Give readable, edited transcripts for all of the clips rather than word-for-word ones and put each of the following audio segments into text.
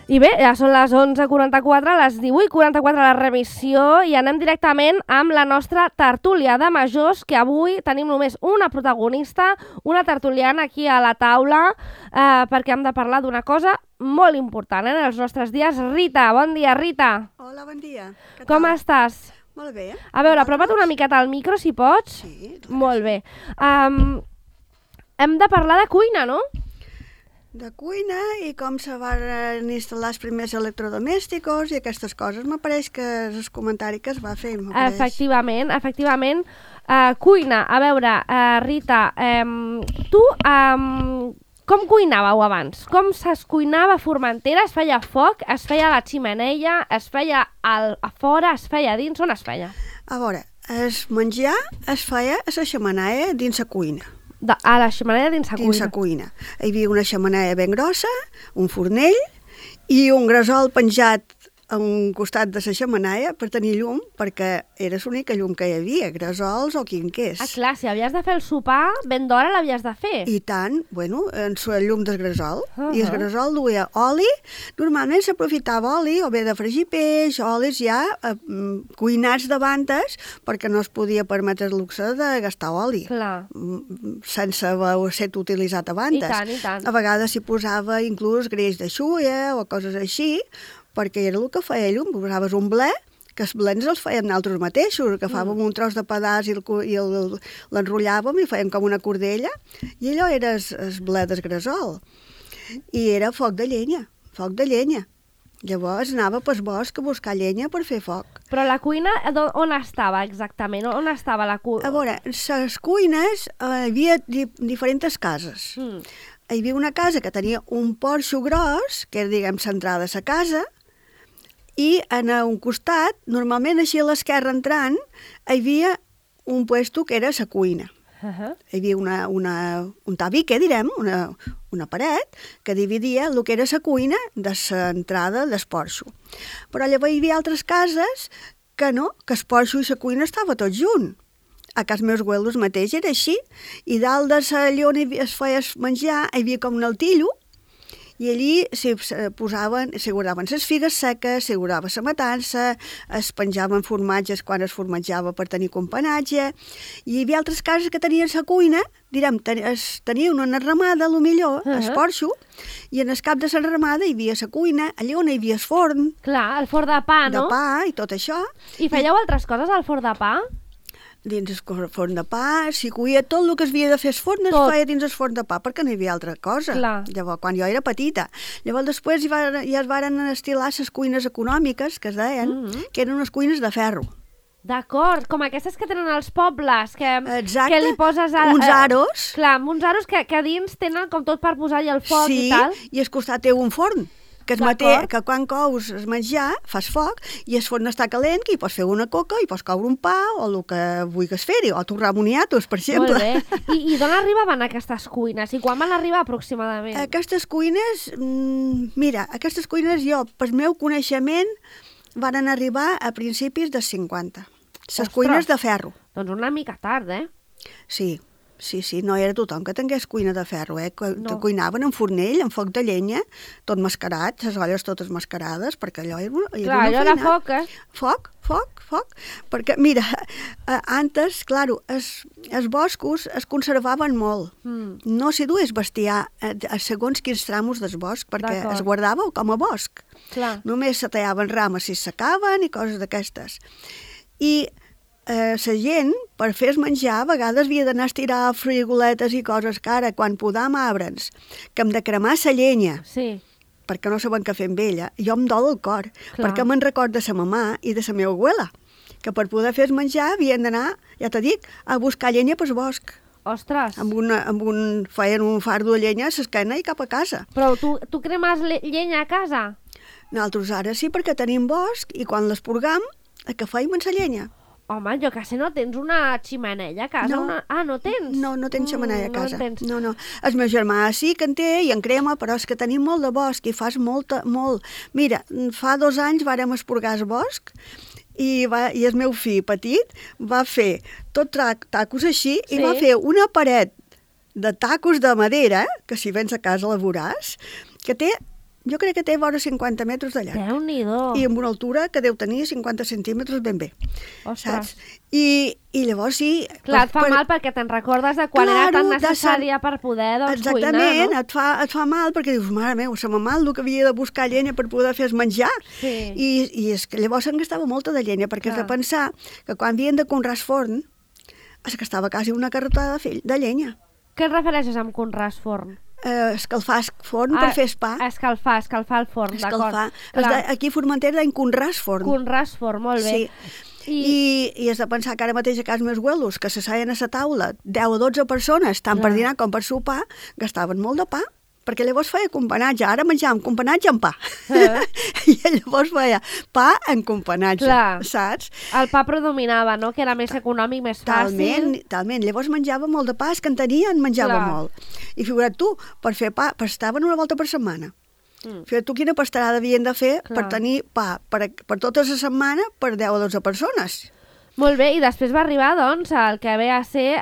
I bé, ja són les 11:44, les 18:44 la remissió i anem directament amb la nostra tertúlia de majors, que avui tenim només una protagonista, una tertuliana aquí a la taula, perquè hem de parlar d'una cosa molt important en els nostres dies. Rita, bon dia, Rita. Hola, bon dia. Com estàs? Molt bé. A veure, apropa't una miqueta al micro, si pots. Sí. Molt bé. Hem de parlar de cuina, no? De cuina i com se van instal·lar els primers electrodomèsticos i aquestes coses. M'apareix que és el comentari que es va fer. Efectivament. Cuina, a veure, Rita, tu com cuinàveu abans? Com es cuinava a Formentera? Es feia foc? Es feia a la ximeneia? Es feia a fora? Es feia a dins? On es feia? A veure, el menjar es feia a la xemeneia dins la cuina. A la xemeneia dins la cuina? Dins la cuina. Hi havia una xemeneia ben grossa, un fornell i un gresol penjat a un costat de la xemeneia per tenir llum, perquè era l'única llum que hi havia, gresols o quinquers. Ah, clar, si havies de fer el sopar, ben d'hora l'havies de fer. I tant, bueno, en la llum del gresol. I el gresol duia oli. Normalment s'aprofitava oli, o bé de fregir peix, olis ja cuinats davantes, perquè no es podia permetre el luxe de gastar oli. Clar. Sense haver set utilitzat abans. I tant, i tant. A vegades s'hi posava inclús greix de xulla o coses així, perquè era el que feia llum. Posaves un ble, que els blens els fèiem nosaltres mateixos, agafàvem un tros de pedaç i l'enrotllàvem i fèiem com una cordella, i allò era el ble del gresol. I era foc de llenya. Llavors anava pel bosc a buscar llenya per fer foc. Però la cuina, on estava exactament? On estava la cuina? A veure, les cuines hi havia diferents cases. Hi havia una casa que tenia un porxo gros, que era, diguem, l'entrada a la casa, i en un costat, normalment així a l'esquerra entrant, hi havia un puesto que era la cuina. Hi havia un tabique, direm, una paret, que dividia el que era la cuina de l'entrada del porxo. Però llavors hi havia altres cases que no, que el porxo i la cuina estava tot junt. A casa meus abuelos mateix era així, i dalt de allò on es feia menjar hi havia com un altillo, i allí s'hi guardaven les figues seques, s'hi guardava la matança, es penjaven formatges quan es formatjava per tenir companatge, i hi havia altres cases que tenien la cuina, direm, tenien una enramada, millor, el porxo, i en el cap de l'enramada hi havia la cuina, allà on hi havia el forn. Clar, el forn de pa, no? De pa i tot això. I fèieu altres coses al forn de pa? Dins el forn de pa, s'hi cuia tot el que es havia de fer el forn, es feia dins el forn de pa, perquè no hi havia altra cosa. Clar. Llavors, quan jo era petita. Llavors, després ja es varen estilar les cuines econòmiques, que es deien, que eren unes cuines de ferro. D'acord, com aquestes que tenen els pobles, que li poses... uns aros. Clar, uns aros que a dins tenen com tot per posar-hi el foc i tal. Sí, i al costat té un forn. Que quan cous el menjar, fas foc, i el forn està calent, que hi pots fer una coca, hi pots coure un pa, o el que vulguis fer-hi, o torrar moniatos, per exemple. Molt bé. I d'on arribaven aquestes cuines? I quan van arribar aproximadament? Aquestes cuines, aquestes cuines jo, pel meu coneixement, van arribar a principis dels 50. Les cuines de ferro. Doncs una mica tard, eh? Sí, no era tothom que tingués cuina de ferro, no. Cuinaven en fornell, en foc de llenya, tot mascarat, les olles totes mascarades, perquè allò era una feina. Allò era foc, eh? Foc. Perquè, mira, antes, clar, els boscos es conservaven molt. No s'hi dues bestiar a segons quins tramos del bosc, perquè es guardava com a bosc. Clar. Només se tallaven rames si s'acaben i coses d'aquestes. I la gent, per fer el menjar, a vegades havia d'anar a estirar frigoletes i coses que ara, quan podam arbres, que hem de cremar la llenya, perquè no saben què fer amb ella, jo em dol el cor, perquè me'n record de sa mamà i de la meva abuela, que per poder fer el menjar havien d'anar, ja t'ho dic, a buscar llenya pel bosc. Ostres! Feien un fardo de llenya a l'esquena i cap a casa. Però tu cremes llenya a casa? Nosaltres ara sí, perquè tenim bosc, i quan l'esporgam, que feim en la llenya. Home, jo quasi no tens una ximeneia a casa. No tens? No tens xemeneia a casa. No. El meu germà sí que en té i en crema, però és que tenim molt de bosc i fas molt. Mira, fa 2 anys vàrem esporgar el bosc i el meu fill petit va fer tot tacos així i va fer una paret de tacos de madera, que si vens a casa la veuràs, que té Jo crec que té vora 50 metres de llarg. Déu-n'hi-do. I amb una altura que deu tenir 50 centímetres ben bé. Ostres. Saps? I llavors sí... Clar, et fa mal perquè te'n recordes de quan era tan necessària per poder cuinar, no? Exactament, et fa mal perquè dius, mare meva, se me mal el que havia de buscar llenya per poder fer menjar. Sí. I és que llavors se'n gastava molta de llenya, perquè has de pensar que quan havien de conrar forn, es gastava quasi una carretada de llenya. Què et refereixes amb conrar forn? Escalfar forn per fer pa. Escalfar el forn, d'acord. Aquí a Formentera deien conràs forn. Conràs forn, molt bé. Sí. I has de pensar que ara mateix a casa meus abuelos, que s'asseien a la taula 10 o 12 persones, tant per dinar com per sopar, gastaven molt de pa, perquè llavors feia companatge. Ara menjàvem companatge amb pa. I llavors feia pa en companatge, saps? El pa predominava, no?, que era més econòmic, més fàcil. Talment. Llavors menjava molt de pa, és que en tenien, menjava molt. I figura't tu, per fer pa, pastaven una volta per setmana. Fíjate tu quina pastarada havien de fer per tenir pa per tota la setmana per 10 o 12 persones. Molt bé, i després va arribar, doncs, el que ve a ser,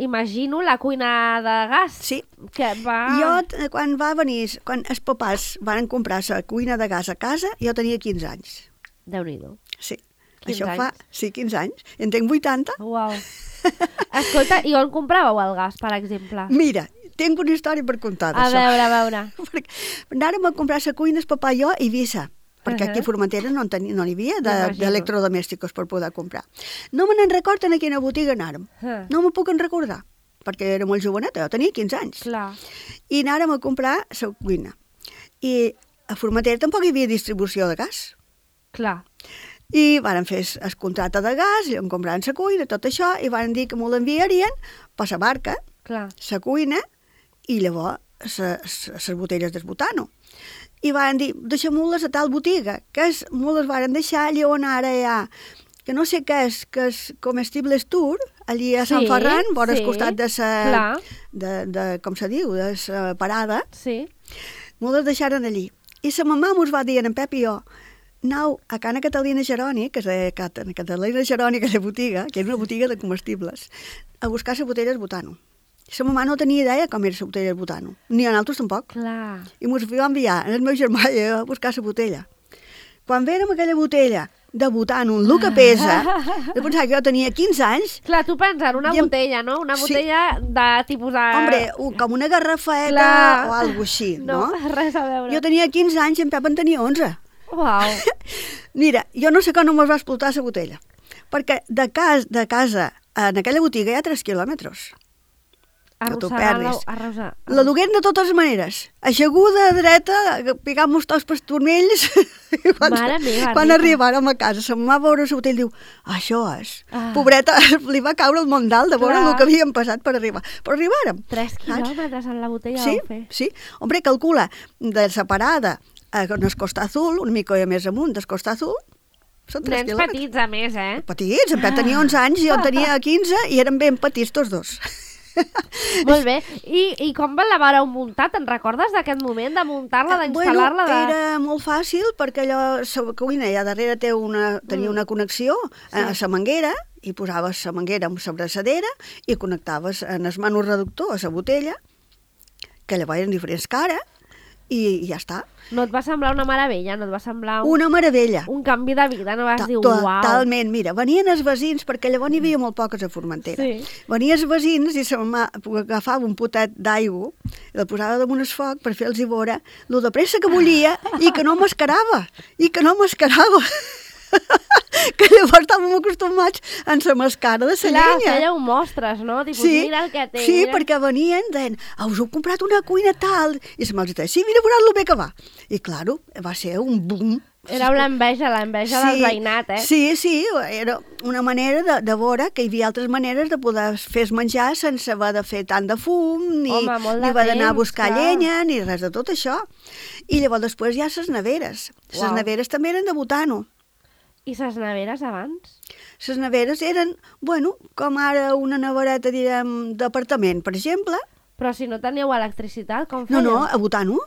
imagino, la cuina de gas. Sí. Jo, quan els papàs van comprar la cuina de gas a casa, jo tenia 15 anys. Déu-n'hi-do. Sí. Això fa 15 anys. En tinc 80. Uau. Escolta, i on compràveu el gas, per exemple? Mira, tinc una història per contar d'això. A veure. Anàrem a comprar la cuina, el papà i jo, a Eivissa, perquè aquí a Formentera no n'hi havia d'electrodomèsticos per poder comprar. No me n'en recordo en quina botiga anàrem. No me puc en recordar, perquè era molt joveneta, jo tenia 15 anys. Clar. I anàrem a comprar la cuina. I a Formentera tampoc hi havia distribució de gas. Clar. I van fer el contracte de gas, i vam comprar la cuina, tot això, i van dir que m'ho l'enviarien per la barca, la cuina, i llavors les botelles d'esbutano. I van dir, deixem-ho-les a tal botiga, que m'ho les van deixar allà on ara hi ha, que no sé què és, que és Comestibles Tour, allí a Sant Ferran, vora al costat de com se diu, de la parada. Sí. M'ho les deixaren allí. I la mamà mos va dir, en Pep i jo, anau a Cana Catalina Geroni, que és de Catalina Geroni, aquella botiga, que és una botiga de comestibles, a buscar la botella d'esbutano. La mamà no tenia idea com era la botella d'esbutano, ni a nosaltres tampoc. Clar. I mos va enviar el meu germà a buscar la botella. Quan vèrem aquella botella de butano, el que pesa, de pensar que jo tenia 15 anys... Clar, tu penses, una botella, no? Una botella de tipus de... Hombre, com una garrafeta o alguna així, no? No, res a veure. Jo tenia 15 anys i en Pep en tenia 11. Uau. Mira, jo no sé com no me'ls va explotar la botella, perquè de casa en aquella botiga hi ha 3 quilòmetres. Que t'ho perdis. La duguem de totes maneres. Aixeguda, dreta, picant-nos tots pels turmells. Quan arribàrem a casa, se'm va veure la botella i diu, això és. Pobreta, li va caure el món dalt de veure el que havíem passat per arribar. Però arribàrem. 3 quilòmetres en la botella vau fer. Sí. Hombre, calcula, de la parada on es Costa Azul, una mica més amunt del Costa Azul, són 3 quilòmetres. Nens petits, a més, Petits, en Pep tenia 11 anys i jo en tenia 15 i eren ben petits tots dos. Molt bé. I com la vareu muntar? Te'n recordes d'aquest moment, de muntar-la, d'instal·lar-la? Era molt fàcil perquè allò, la cuina allà darrere tenia una connexió a la manguera i posaves la manguera amb la braçadera i connectaves en el manu reductor a la botella, que llavors eren diferents cares, i ja està. No et va semblar una meravella? No et va semblar una meravella. Un canvi de vida? No vas dir, uau. Totalment. Mira, venien els veïns, perquè llavors n'hi havia molt poques a Formentera. Sí. Venien els veïns i la mamà agafava un potet d'aigua, el posava damunt el foc per fer-los veure lo de pressa que bullia i que no mascarava. Que llavors estàvem acostumats en la mascara de la llenya. Clar, fèieu mostres, no? Tipus, mira el que té. Sí, perquè venien, deien, us heu comprat una cuina tal. I se me'ls deia, sí, mira, veuràs lo bé que va. I, clar, va ser un boom. Era l'enveja del veïnat, Sí, era una manera de veure que hi havia altres maneres de poder fer menjar sense haver de fer tant de fum, ni haver d'anar a buscar llenya, ni res de tot això. I llavors després hi ha les neveres. Les neveres també eren de butano. I les neveres abans? Les neveres eren, com ara una nevereta, direm, d'apartament, per exemple. Però si no teníeu electricitat, com fèieu? No, a butano.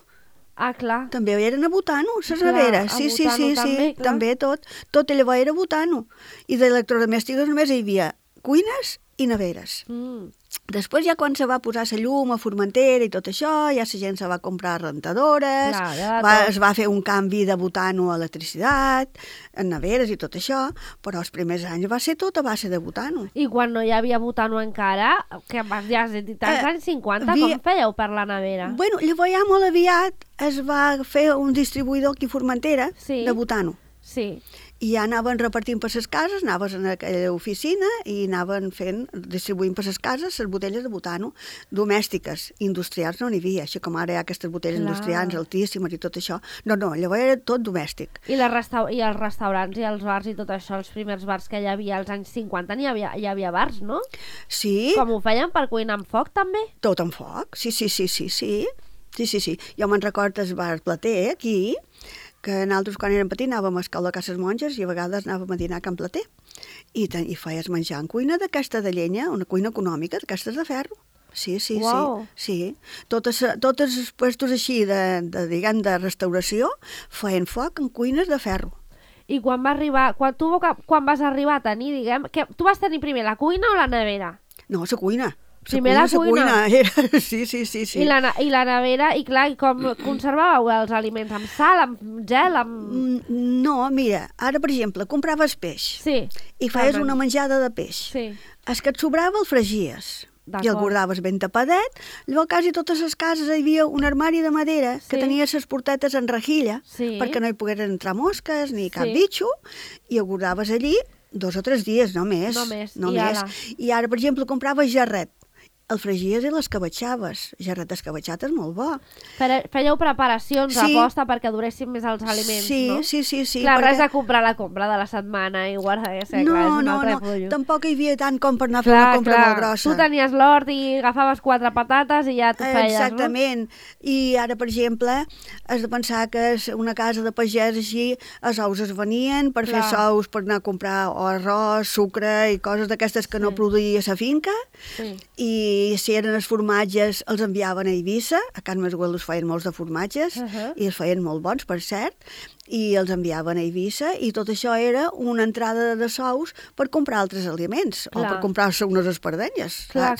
Ah, clar. També eren a butano, les neveres. Sí, també tot. Tot llavors era butano. I d'electrodomèstics només hi havia cuines i neveres. Després ja quan se va posar la llum a Formentera i tot això, ja la gent se va comprar rentadores, es va fer un canvi de butano a electricitat, en neveres i tot això, però els primers anys va ser tot a base de butano. I quan no hi havia butano encara, que ja has dit als anys 50, com fèieu per la nevera? Bueno, llavors ja molt aviat es va fer un distribuïdor aquí a Formentera de butano. Sí. I ja anaven repartint per les cases, anaves en aquella oficina i anaven distribuint per les cases les botelles de butano domèstiques, industrials no n'hi havia, així com ara hi ha aquestes botelles industrials altíssimes i tot això. No, llavors era tot domèstic. I els restaurants i els bars i tot això, els primers bars que hi havia als anys 50, hi havia bars, no? Sí. Com ho feien per cuinar amb foc, també? Tot amb foc, sí. Jo me'n recordo el bar Plater, aquí, que nosaltres quan érem petits anàvem a escola a Cases Monges i a vegades anàvem a dinar a Can Plater i feies menjar en cuina d'aquesta de llenya, una cuina econòmica, d'aquestes de ferro. Sí. Totes els puestos així de restauració feien foc en cuines de ferro. I quan vas arribar a tenir, tu vas tenir primer la cuina o la nevera? No, la cuina. Primer la cuina. Sí. I la nevera, i clar, com conservàveu els aliments? Amb sal, amb gel, amb... No, mira, ara, per exemple, compraves peix i feies una menjada de peix. El que et sobrava el fregies i el guardaves ben tapadet. Llavors, quasi totes les cases hi havia un armari de madera que tenia les portetes en rejilla perquè no hi poguessin entrar mosques ni cap bitxo, i el guardaves allí 2 o 3 dies, no més. I ara, per exemple, compraves jarret. El fregies i l'escabetxaves. Jarret escabetxat és molt bo. Fèieu preparacions a posta perquè duressin més els aliments, no? Sí. Clar, res de comprar la compra de la setmana i guardar, No, tampoc hi havia tant com per anar a fer una compra molt grossa. Tu tenies l'hort i agafaves 4 patates i ja t'ho feies, no? Exactament. I ara, per exemple, has de pensar que és una casa de pagès així, els ous es venien per fer sous, per anar a comprar arròs, sucre i coses d'aquestes que no produïa la finca, i si eren els formatges els enviaven a Eivissa, a Can Masguel us feien molts de formatges, i els feien molt bons, per cert, i els enviaven a Eivissa, i tot això era una entrada de sous per comprar altres aliments, o per comprar-se unes espardenyes. Clar.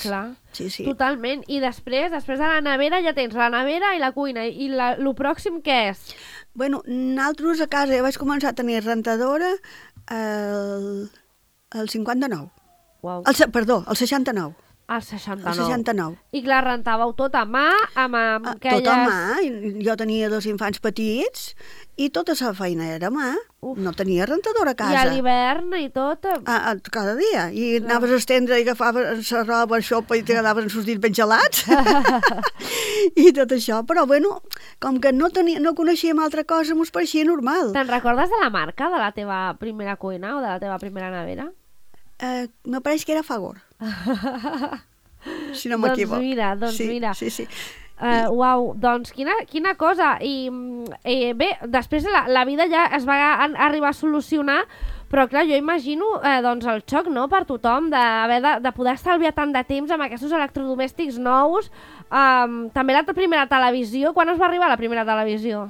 Sí. Totalment. I després de la nevera ja tens la nevera i la cuina. I el pròxim què és? Bueno, nosaltres a casa ja vaig començar a tenir rentadora el 59. Uau. El 69. El 69. El 69. I clar, rentàveu tot a mà, amb aquelles... Tot a mà. Jo tenia 2 infants petits i tota la feina era a mà. No tenia rentadora a casa. I a l'hivern i tot? Cada dia. I anaves a estendre i agafaves la roba, xopa, i t'agradaven els dits ben gelats. I tot això. Però, bueno, com que no coneixíem altra cosa, mos pareixia normal. Te'n recordes de la marca de la teva primera cuina o de la teva primera nevera? Me pareix que era Fagor. Si no m'equivoc. Doncs mira. Sí. Uau, doncs quina cosa. I bé, després la vida ja es va arribar a solucionar, però clar, jo imagino doncs el xoc, no?, per tothom de poder estalviar tant de temps amb aquests electrodomèstics nous. També la primera televisió. Quan us va arribar la primera televisió?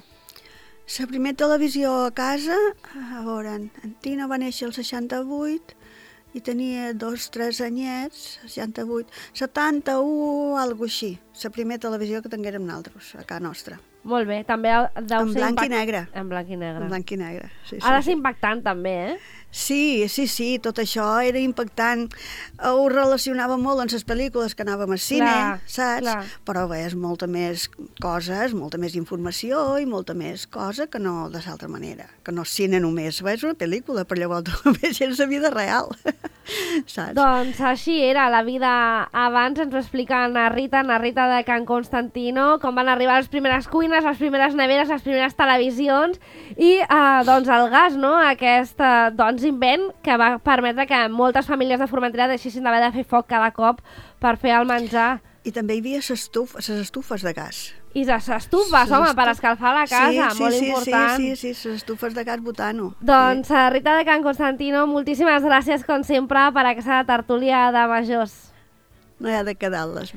La primera televisió a casa, a veure, en Tina va néixer el 68 i tenia 2-3 anyets, 68, 71, alguna així. La primera televisió que tinguérem nosaltres, a casa nostra. Molt bé, també deu ser... En blanc i negre. En blanc i negre. En blanc i negre, sí. Ha de ser impactant, també, eh? Sí, tot això era impactant. Ho relacionava molt amb les pel·lícules que anàvem al cine, saps? Clar. Però bé, és molta més coses, molta més informació i molta més cosa que no de l'altra manera. Que no és cine només, és una pel·lícula, però llavors també és la vida real, saps? Doncs així era la vida abans. Ens ho explica na Rita de Can Constantino, com van arribar les primeres cuines, les primeres neveres, les primeres televisions i doncs el gas, no? Aquest invent que va permetre que moltes famílies de Formentera deixessin d'haver de fer foc cada cop per fer el menjar. I també hi havia les estufes de gas. I les estufes, home, per escalfar la casa, molt important. Sí, les estufes de gas butano. Doncs Rita de Can Constantino, moltíssimes gràcies, com sempre, per aquesta tertúlia de majors. No hi ha de quedar-les.